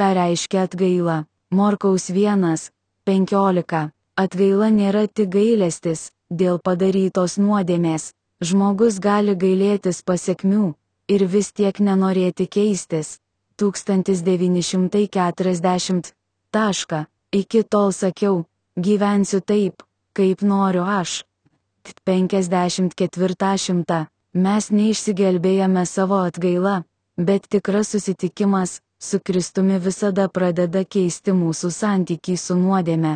Ką reiškia atgaila? Morkaus 1:15. Atgaila nėra tik gailestis dėl padarytos nuodėmės. Žmogus gali gailėtis pasekmių ir vis tiek nenorėti keistis. 1940. Iki tol sakiau, gyvensiu taip, kaip noriu aš. 54. Mes neišsigelbėjame savo atgaila, bet tikras susitikimas su Kristumi visada pradeda keisti mūsų santykį su nuodėme.